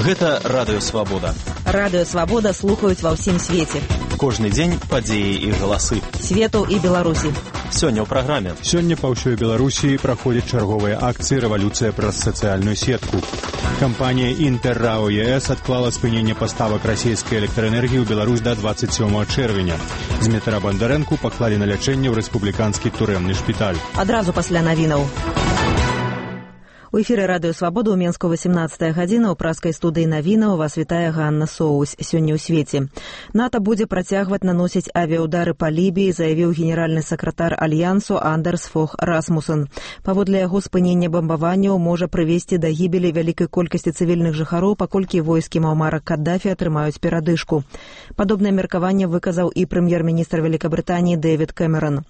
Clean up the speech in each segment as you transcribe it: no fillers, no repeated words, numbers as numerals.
Гэта Радыё Свабода. Радыё Свабода слухаюць ва ўсім свеце. Кожны дзень падзеі і галасы. Свету і Беларусі. Сёння ў праграме. Сёння па ўсёй Беларусі праходзяць чарговыя акцыі «Рэвалюцыя праз сацыяльную сетку». Кампанія «Інтэррао ЕС» адклала спыненне паставак расійскай электраэнергіі ў Беларусь да 27 чэрвеня. Змітра Бандарэнку паклалі на лячэнне ў рэспубліканскі турэмны шпіталь. Адразу пасля навінаў. У эфіры Радыё Свабода ў Менску 18 гадзіна. У праскай студыі навінаў вас вітае Ганна Соусь. Сёння ў свеце. НАТО будзе працягваць наносіць авіаудары па Лібіі, заявіў генеральны сакратар Альянсу Андерс Фог Расмуссен. Паводле яго спынення бамбаванняў можа прывесці да гібелі вялікай колькасці цывільных жыхароў, паколькі войскі Муамара Каддафі атрымаюць перадышку. Падобнае меркаванне выказаў і прэм'ер-міністр Вялікабрытаніі Дэвід Кэмерон.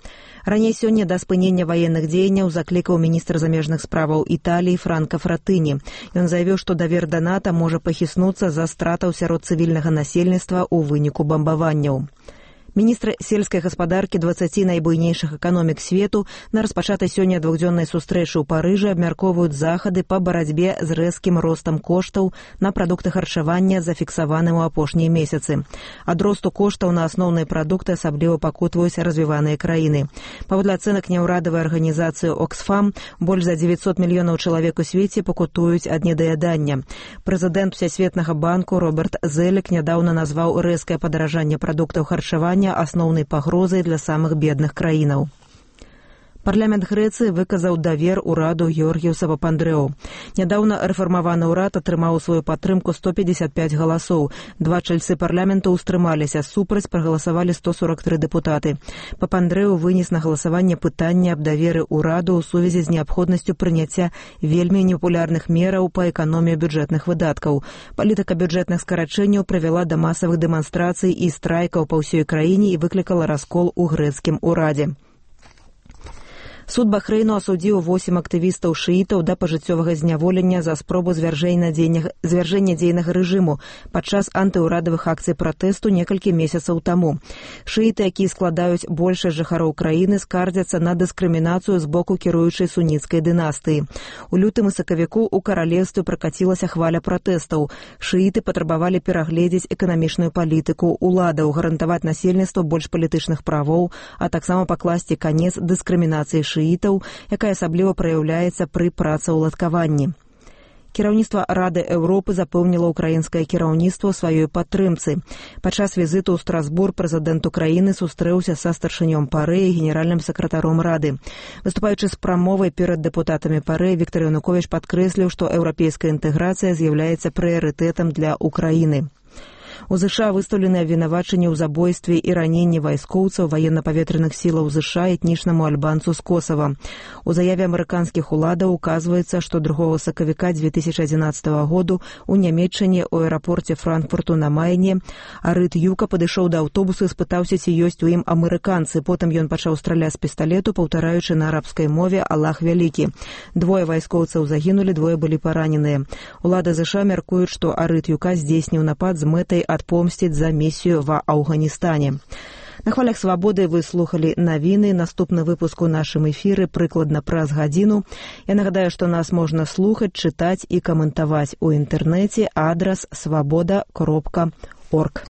Раней сёння да спынення ваенных дзеянняў заклікаў міністр замежных справаў Італіі Франка Фратыні. Ён заявіў, што давер да НАТО можа пахіснуцца за стратаў сярод цывільнага насельніцтва ў выніку бамбаванняў. Міністр сельскай гаспадаркі 20 найбуйнейшых эканомік свету на распачатай сёння двухдзённай сустрэчы ў Парыжы абмяркоўваюць захады па барацьбе з рэзкім ростам коштаў на прадукты харчавання, зафіксаваным у апошнія месяцы. Ад росту коштаў на асноўныя прадукты асабліва пакутваюць развіваныя краіны. Паводле ацэнак няўрадавай арганізацыі Оксфам, больш за 900 мільёнаў чалавек у свеце пакутуюць ад недаядання. Прэзідэнт Всесветнага банку Роберт Зелек нядаўна назваў рэзкае падаражанне прадуктаў харчавання асноўнай пагрозай для самых бедных краінаў. Парламент Грэцыі выказаў давер ураду Георгіуса Папандрэу. Нядаўна рэфармаваны ўрад атрымаў сваю падтрымку 155 галасоў. Два чальцы парламенту ўстрымаліся, супраць прагаласавалі 143 дэпутаты. Папандрэу вынес на галасаванне пытанне аб даверы ўраду ў сувязі з неабходнасцю прыняцця вельмі непапулярных мераў па эканоміі бюджэтных выдаткаў. Палітыка бюджэтных скарачэнняў прывяла да масавых дэманстрацый і страйкаў па ўсёй краіне і выклікала раскол у грэцкім урадзе. Суд Бахрэйну асудзіў 8 актывістаў шыітаў да пажыццёвага зняволення за спробу звяржэння дзейнага рэжыму падчас антыўрадавых акцый пратэсту некалькі месяцаў таму. Шыіты, якія складаюць большасць жыхароў краіны, скардзяцца на дыскрымінацыю з боку кіруючай суніцкай дынастыі. У лютым і сакавіку ў каралевстве пракацілася хваля пратэстаў. Шыіты патрабавалі перагледзець эканамічную палітыку ўладаў, гарантаваць насельніцтву больш палітычных правоў, а таксама пакласці канец дыскрымінацыі шыітаў, якая асабліва праяўляецца пры працаўладкаванні. Кіраўніцтва Рады Еўропы запэўніла ўкраінскае кіраўніцтва сваёй падтрымцы. Падчас візіту ў Страсбург прэзідэнт Украіны сустрэўся са старшынём ПАРЭ і генеральным сакратаром Рады. Выступаючы з прамовай перад дэпутатамі ПАРЭ, Віктор Януковіч падкрэсліў, што еўрапейская інтэграцыя з'яўляецца прыярытэтам для Украіны. У ЗША выстаўлены абвінавачанні ў забойстве і раненні вайскоўцаў ваенна-паветраных сілаў ЗША этнічнаму альбанцу з Косава. У заяве амерыканскіх уладаў указваецца, што 2 сакавіка 2011 году ў Нямецчыне ў аэрапорце Франкфурту на Майне Арыт Юка падышоў да аўтобуса і спытаўся, ці ёсць у ім амерыканцы. Потым ён пачаў страляць з пісталету, паўтараючы на арабскай мове «Аллах вялікі». 2 вайскоўцаў загінулі, 2 былі параненыя. Улады ЗША мяркуюць, што Арыт Юка здзейсніў напад з мэтай адпомсціць за місію ва Афганістане. На хвалях Свабоды вы слухали навіны. Наступны выпуск у нашым эфіры прыкладна праз гадзіну. Я нагадаю, што нас можна слухаць, чытаць і каментаваць у інтэрнэце. Адрас swaboda.org.